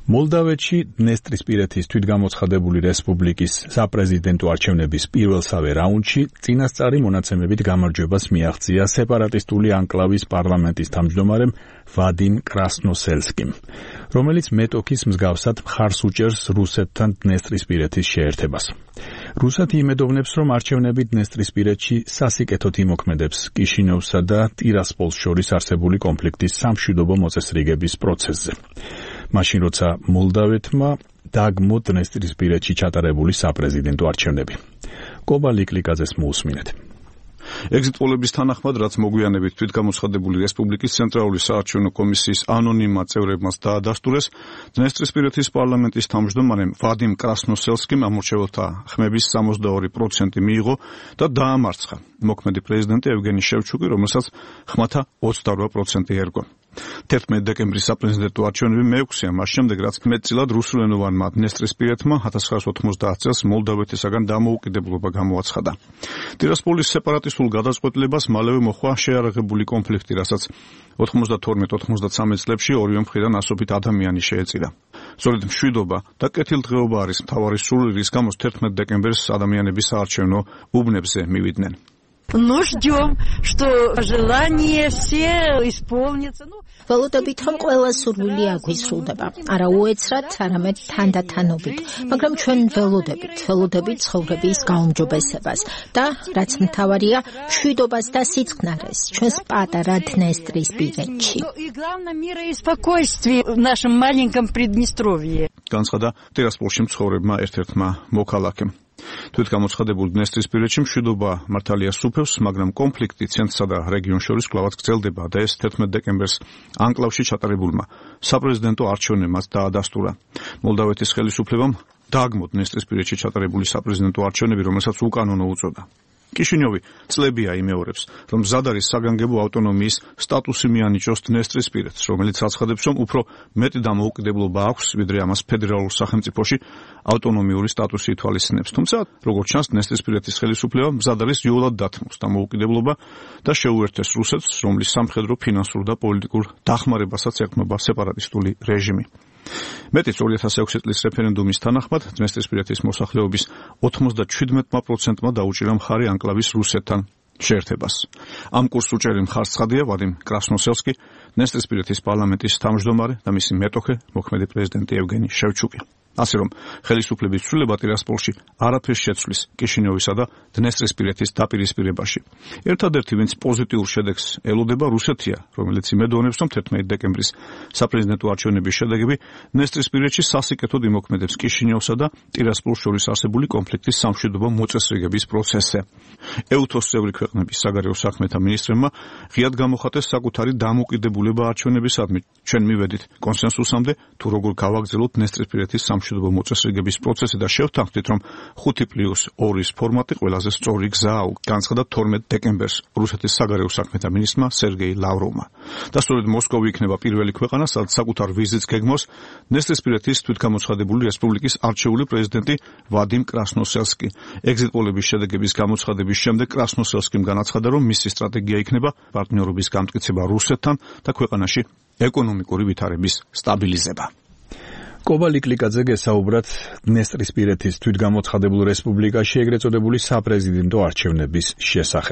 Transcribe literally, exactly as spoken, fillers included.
მოლდავეთში დნესტრისპირეთის თვითგამოცხადებული რესპუბლიკის საპრეზიდენტო არჩევნების პირველსავე რაუნდში წინასწარი მონაცემებით გამარჯვებას მიაღწია სეპარატისტული ანკლავის პარლამენტის თავმჯდომარემ ვადიმ კრასნოსელსკიმ, რომელიც მეტოქის მსგავსად მხარს უჭერს რუსეთთან დნესტრისპირეთის შეერთებას. რუსეთი იმედოვნებს, რომ არჩევნები დნესტრისპირეთში სასიკეთოდ იმოქმედებს კიშინევსა და ტირასპოლს შორის არსებული კონფლიქტის სამშვიდობო მოწესრიგების პროცესზე. მაშინ როცა მოლდავეთმა დაგმო დნესტრისპირეთში ჩატარებული საპრეზიდენტო არჩევნები. კობა ლიკლიკაძეს მოусმინეთ. ეგზიტ პოლების თანახმად, რაც მოგვიანებით თვითგამოცხადებული რესპუბლიკის ცენტრალური საარჩევნო კომისიის ანონიმმა წევრებმაც დაადასტურეს, დნესტრისპირეთის პარლამენტის თავმჯდომარემ ვადიმ კრასნოსელსკიმ ამორჩეველთა ხმების სამოცდაორი პროცენტი მიიღო და დაამარცხა მოქმედი პრეზიდენტი ევგენი შევჩუკი, რომელსაც ხმათა ოცდარვა პროცენტი ერგო. თერთმეტი დეკემბრის საპრეზიდენტო არჩევნები მეექვსეა მას შემდეგ, რაც მეტწილად რუსულენოვანმა დნესტრისპირეთმა hātās ცხრაას ოთხმოცდაათ წელს მოლდავეთისაგან დამოუკიდებლობა გამოაცხადა. ტირასპოლის სეპარატისტულ გადაწყვეტილებას მალევე მოჰყვა შეარაღებული კონფლიქტი, რასაც ოთხმოცდათორმეტ ოთხმოცდაცამეტ წლებში ორივე მხრიდან ასობით ადამიანი შეეწირა. სწორედ მშვიდობა და კეთილდღეობა არის მთავარი სურვილი, რის გამოც თერთმეტ დეკემბერს ადამიანები საარჩევნო უბნებზე მივიდნენ. Ну, ждем, что желание все исполнится. Ну, ველოდებით, რომ ყველა სურვილი აგვისრულდება. არა უეცრად, არამედ თანდათანობით. მაგრამ ჩვენ ველოდებით, ველოდებით ცხოვრების გაუმჯობესებას და რაც მთავარია, მშვიდობას და სიწყნარეს ჩვენს პატარა დნესტრისპირეთში. И главное мира и спокойствия в нашем маленьком Приднестровье. განცხადა ტირასპოლში მცხოვრებმა ერთ-ერთმა მოქალაქემ. თვითგამოცხადებულ დნესტრისპირეთში მშვიდობა მართალია სუფევს, მაგრამ კონფლიქტი ცენტრსა და რეგიონს შორის კვლავაც გრძელდება და ეს თერთმეტ დეკემბერს ანკლავში ჩატარებულმა საპრეზიდენტო არჩევნებმაც დაადასტურა. მოლდავეთის ხელისუფლებამ დააგმო დნესტრისპირეთში ჩატარებული საპრეზიდენტო არჩევნები, რომელსაც უკანონო უწოდა. კიშინიოვი წლებია იმეორებს, რომ მზად არის საგანგებო ავტონომიის სტატუსი მიანიჭოს დნესტრისპირეთს, რომელიც აცხადებს, რომ უფრო მეტი დამოუკიდებლობა აქვს, ვიდრე ამას ფედერალურ სახელმწიფოში ავტონომიური სტატუსი ითვალისწინებს. თუმცა, როგორც ჩანს, დნესტრისპირეთის ხელისუფლება მზად არის იოლად დათმოს დამოუკიდებლობა და შეუერთეს რუსეთს, რომლის სამხედრო, ფინანსურ და პოლიტიკურ დახმარებასაც ეკმობა სეპარატისტული რეჟიმი. მეტიც ორი ათას ექვსი წლის რეფერენდუმის თანახმად დნესტრისპირეთის მოსახლეობის ოცდაშვიდ პროცენტმა დაუჭირა მხარი ანკლავის რუსეთთან შეერთებას. ამ კურსს უჭერი მხარს ცხადია ვადიმ კრასნოსელსკი, დნესტრისპირეთის პარლამენტის თავმჯდომარე და მისი მეტოქე, მოქმედი პრეზიდენტი ევგენი შევჩუკი. ასე რომ, ხელისუფლების ცვლილება ტირასპოლში არაფერს შეცვლის კიშინიოვისა და დნესტრისპირეთის დაპირისპირებაში. ერთადერთი, ვინც პოზიტიურ შედეგს ელოდება, რუსეთია, რომელიც იმედოვნებს, რომ თერთმეტი დეკემბრის საპრეზიდენტო არჩევნების შედეგები დნესტრისპირეთში სასიკეთოდ იმოქმედებს კიშინიოვსა და ტირასპოლს შორის არსებული კონფლიქტის სამშვიდობო მოწესრიგების პროცესზე. ეუთოს წევრი ქვეყნების საგარეო საქმეთა მინისტრებმა ღიად გამოხატეს საკუთარი დამოუკიდებულება არჩევნებისადმი. ჩვენ მივედით კონსენსუსამდე, თუ როგორ გავაგრძელოთ დნესტრისპირეთის სამშვიდობო მოწესრიგების პროცესი და შევთანხმდით, რომ ხუთი პლუს ორის ფორმატი ყველაზე სწორი გზაა, განცხადა თორმეტ დეკემბერს რუსეთის საგარეო საქმეთა მინისტრმა სერგეი ლავროვმა. და სწორედ მოსკოვი იქნება პირველი ქვეყანა, სადაც საკუთარ ვიზიტს გეგმავს დნესტრისპირეთის თვითგამოცხადებული რესპუბლიკის არჩეული პრეზიდენტი ვადიმ კრასნოსელსკი. ეგზიტ პოლების შედეგების გამოცხადების შემდეგ კრასნოსელსკიმ განაცხადა, რომ მისი სტრატეგია იქნება პარტნიორობის გამტკიცება რუსეთთან და ქვეყანაში ეკონომიკური ვითარების სტაბილიზება. კობა ლიკლიკაძე გესაუბრათ დნესტრისპირეთის თვითგამოცხადებულ რესპუბლიკაში ეგრეთ წოდებული საპრეზიდენტო არჩევნების შესახებ.